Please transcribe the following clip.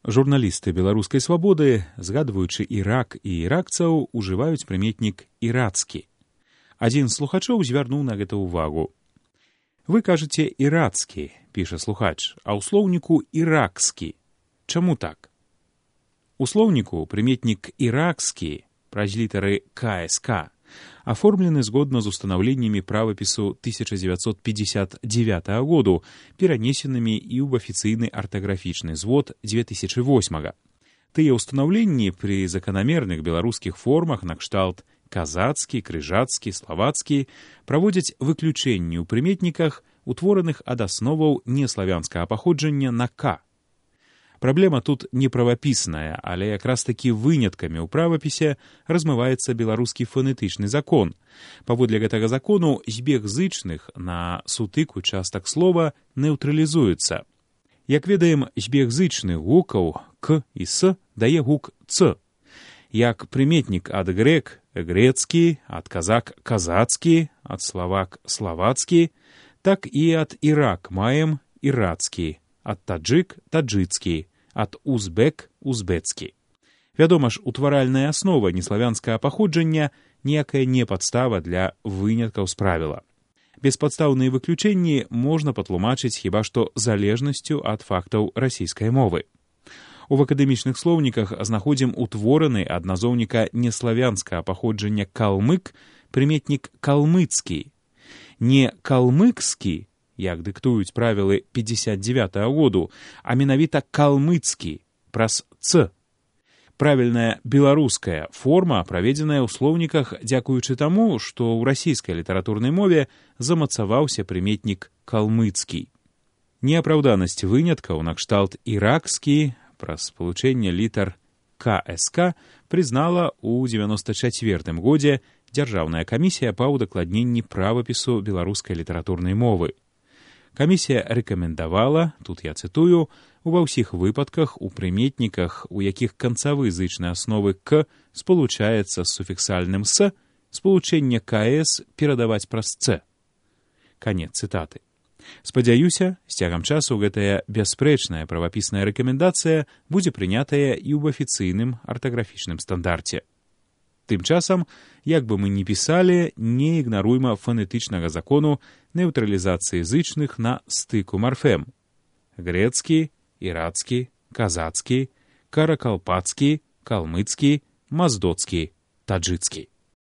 Журналісты беларускай свабоды, згадваючы Ірак і іракцаў, ужываюць прыметнік «ірацкі». Адзін з слухачоў звярнуў на гэта ўвагу. «Вы кажаце «ірацкі», — піша слухач, а ў слоўніку «іракскі». Чаму так?» У слоўніку прыметнік «іракскі» праз літары КСК аформлены згодна з устанаўленнямі правапісу 1959 году, перанесенымі і ў афіцыйны артаграфічны звод 2008. Тыя ўстанаўленні пры заканамерных беларускіх формах накшталт казацкі, крыжацкі, славацкі праводзяць выключэнні ў прыметніках, утвораных ад асноваў неславянскага паходжання на «к». Праблема тут не правапісная, але якраз такі выняткамі ў правапісе размываецца беларускі фонетычны закон. Паводле гэтага закону збег зычных на сутыку частак слова неўтралізуецца. Як ведаем, збег зычных гукаў «к» і «с» дае гук «ц». Як прыметнік ад грек – грецкі, ад казак – казацкі, ад славак – славацкі, так і ад ірак маем ірацкі, ад таджык – таджыцкі, ад узбек – узбецкі. Вядома ж, утваральная аснова неславянскага паходжання ніякая не падстава для выняткаў з правіла. Беспадстаўныя выключэнні можна патлумачыць хіба што залежнасцю ад фактаў расійскай мовы. У акадэмічных слоўніках знаходзім утвораны ад назоўніка неславянскага паходжання калмык прыметнік калмыцкі. Не калмыкскі, як дыктуюць правілы 59 году, а менавіта калмыцкі, праз «ц». Правільная беларуская форма праведзеная ў слоўніках дзякуючы таму, што ў расійскай літаратурнай мове замацаваўся прыметнік калмыцкі. Неапраўданасць выняткаў накшталт іракскі праз спалучэнне літар КСК прызнала ў 94 годзе Дзяржаўная камісія па ўдакладненні правапісу беларускай літаратурнай мовы. Камісія рэкамендавала, тут я цытую, ува ўсіх выпадках у прыметніках, у якіх канцавы зычнай асновы «к» спалучаецца з суфіксальным «с», спалучэнне «кс» перадаваць праз «ц». Канец цытаты. Спадзяюся, з цягам часу гэтая бясспрэчная правапісная рэкамендацыя будзе прынятая і ў афіцыйным артаграфічным стандарце. Тым часам, як бы мы ні пісалі, не ігнаруйма фонетычнага закону неўтралізацыі зычных на стыку марфем. Грецкі, ірацкі, казацкі, каракалпацкі, калмыцкі, маздоцкі, таджыцкі.